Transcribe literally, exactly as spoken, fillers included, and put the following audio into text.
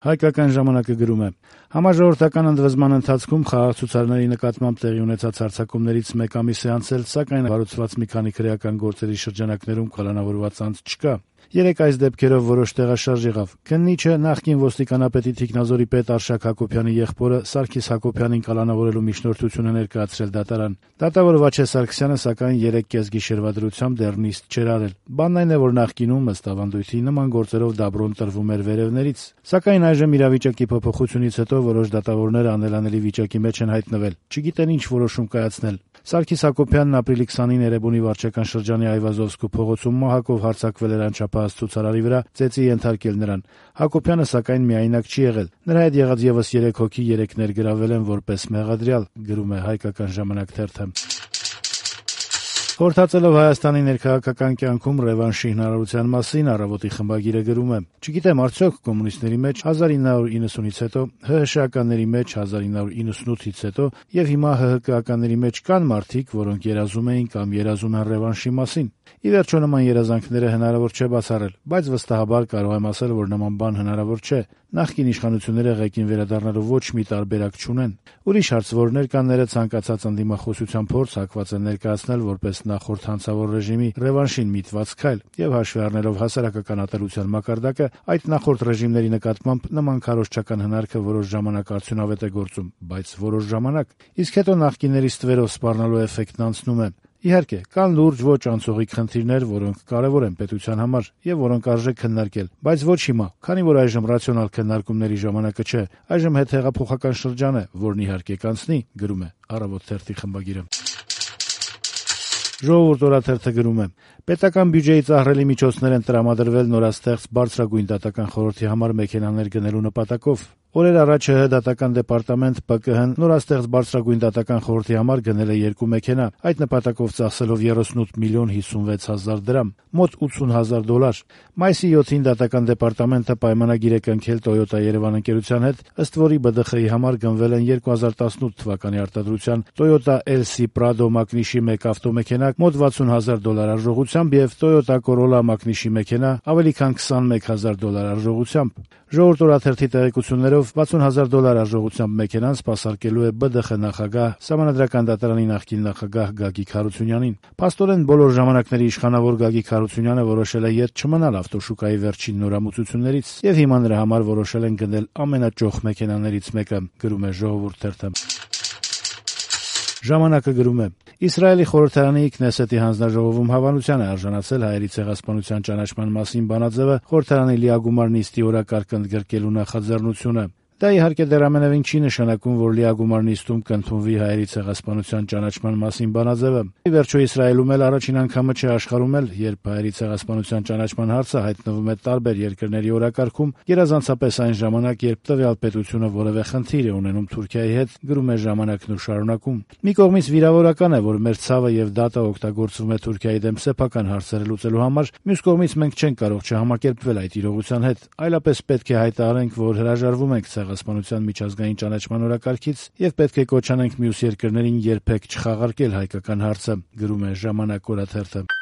Հայկական ժամանակը գրում է. Համաժողովրդական ընդվզման ընթացքում խաղաղցուցարների նկատմամբ տեղի ունեցած հարձակումներից մեկ ամիս է անցել, սակայն հարուցված մի քանի քրեական գործերի շրջանակներում կալանավորված անձ չկա։ Երեք այս դեպքերով որոշ տեղաշարժ եղավ։ Քննիչը նախկին ոստիկանապետի Թիկնազորի պետ Արշակ Հակոբյանի եղբորը Սարգիս Հակոբյանին կալանավորելու միջնորդությունը ներկայացրել դատարան։ Դատավոր Վաչե Սարգսյանը սակայն երեք կեսգիշերվա դրությամբ դեռ նիստ չէր արել։ Բանն այն է, որ նախկինում ըստ ավանդույթի նման գործերով դաբրոն տրվում էր վերևներից։ Սակայն այժմ իրավիճակի փոփոխությունից հետո որոշ դատավորներ անելանելի վիճակի մեջ են հայտնվել, չգիտեն ինչ որոշում կայացնել։ Սարգիս Հակոբյանն ապրիլի քսանինը Էրեբունի վարչական շրջանի Այվազովսկու փողոցում մահակով հարձակվել էր անչափահաս ցուցարարի վրա, ծեծի ենթարկել նրան։ Հակոբյանը սակայն միայնակ չի եղել։ Նրա հետ եղած եւս երեք հոգի երեք ներգրավել են որպես մեղադրյալ, գրում է Հայկական ժամանակ թերթը։ Խորհրդածելով Հայաստանի ներքաղաքական կյանքում ռևանշի հնարավորության մասին Առավոտի խմբագիրը գրում է. Չգիտեմ արդյոք կոմունիստների մեջ հազար ինը հարյուր իննսունից հետո, ՀՀՇ-ականների մեջ հազար ինը հարյուր իննսունութից հետո եւ հիմա ՀՀԿ-ականների մեջ կան մարդիկ, որոնք երազում էին կամ երազում են ռևանշի մասին։ Ի վերջո նման երազանքները հնարավոր չէ բացառել, բայց վստահաբար կարող եմ ասել, որ նման բան հնարավոր չէ։ Նախկին իշխանությունները ղեկին վերադառնալու ոչ մի տարբերակ չունեն։ Ուրիշ հարց, որ ներկաները ցանկացած ընդդիմախոսության փորձ հակված են ներկայացնել որպես նախորդ հանցավոր ռեժիմի ռևանշին միտված քայլ եւ հաշվի առնելով հասարակական ատելության մակարդակը, այդ նախորդ ռեժիմների նկատմամբ նման քարոզչական հնարքը որոշ ժամանակ արդյունավետ է գործում, բայց որոշ ժամանակ, իսկ հետո նախկինների ստվերով սպառնալու էֆեկտն անցնում է։ Իհարկե, կան լուրջ ոչ անցողիկ խնդիրներ, որոնք կարևոր են պետության համար եւ որոնք արժե քննարկել, բայց ոչ հիմա, քանի որ այժմ ռացիոնալ քննարկումների ժամանակը չէ, այժմ հետհեղափոխական շրջան է, որն իհարկե կանցնի, գրում է Առավոտ թերթի խմբագիրը։ Ժողովուրդ օրաթերթը գրում է. Պետական բյուջեից ահռելի միջոցներ են տրամադրվել նորաստեղծ բարձրագույն դատական խորհրդի համար մեքենաներ գնելու նպատակով։ Օրեր առաջ ՀՀ դատական դեպարտամենտ ՊԿՀ-ն նորաստեղծ բարձրագույն դատական խորհրդի համար գնել է երկու մեքենա, այդ նպատակով ծախսելով յոթանասուն միլիոն հիսունվեց հազար դրամ, մոտ ութսուն հազար դոլար։ Մայիսի յոթին դատական դեպարտամենտը պայմանագիր է կնքել Toyota Երևան ընկերության հետ, ըստ որի ԲԴԽ-ի համար գնվել են երկու հազար տասնութ թվականի արտադրության Toyota L C Prado մակնիշի մեկ ավտոմեքենա մոտ վաթսուն հազար դոլար արժողությամբ եւ Toyota Corolla մակնիշի մեքենա ավելի քան քսանմեկ հազար դոլար արժողությամբ։ Ժողովուրդ օրաթերթի տեղեկություններով վաթսուն հազար դոլար արժողությամբ մեքենան սպասարկելու է ԲԴԽ նախագահ, Սահմանադրական դատարանի նախկին նախագահ Գագիկ Հարությունյանին։ Փաստորեն բոլոր ժամանակների իշխանավոր Գագիկ Հարությունյանը որոշել է ետ չմնալ ավտոշուկայի վերջին նորամուծություններից եւ հիմա նրա համար որոշել են գնել ամենաճոխ մեքենաներից մեկը, գրում է Ժողովուրդ թերթը։ Ժամանակը գրում է. Իսրայելի խորհրդարանի Քնեսեթի հանձնաժողովում հավանության է արժանացել հայերի ցեղասպանության ճանաչման մասին բանաձևը խորհրդարանի լիագումար նիստի օրակարգ ընդգրկելու նախաձեռնությունը։ Դա իհարկե դեռ ամենևին չի նշանակում, որ լիագումար նիստում կընդունվի հայերի ցեղասպանության ճանաչման մասին բանաձևը։ Ի վերջո Իսրայելում էլ առաջին անգամը չէ աշխարհում էլ, երբ հայերի ցեղասպանության ճանաչման հարցը հայտնվում է տարբեր երկրների օրակարգում, գերազանցապես այն ժամանակ, երբ տվյալ պետությունը որևէ խնդիր է ունենում Թուրքիայի հետ, գրում է Ժամանակն ու շարունակում։ Մի կողմից վիրավորական է, որ մեր ցավը եւ դատը օգտագործվում է Թուրքիայի դեմ սեփական հարցերը լուծելու համար, մյուս կողմից մենք չենք կարող չհամակերպվել այդ իրողության հետ, այլապես պետք է հայտարարենք, որ հրաժարվում ենք ցեղասպանության միջազգային ճանաչման օրակարգից եւ պետք է կոչ անենք մյուս երկրներին երբեք չխաղարկել հայկական հարցը, գրում է Ժամանակ օրաթերթը։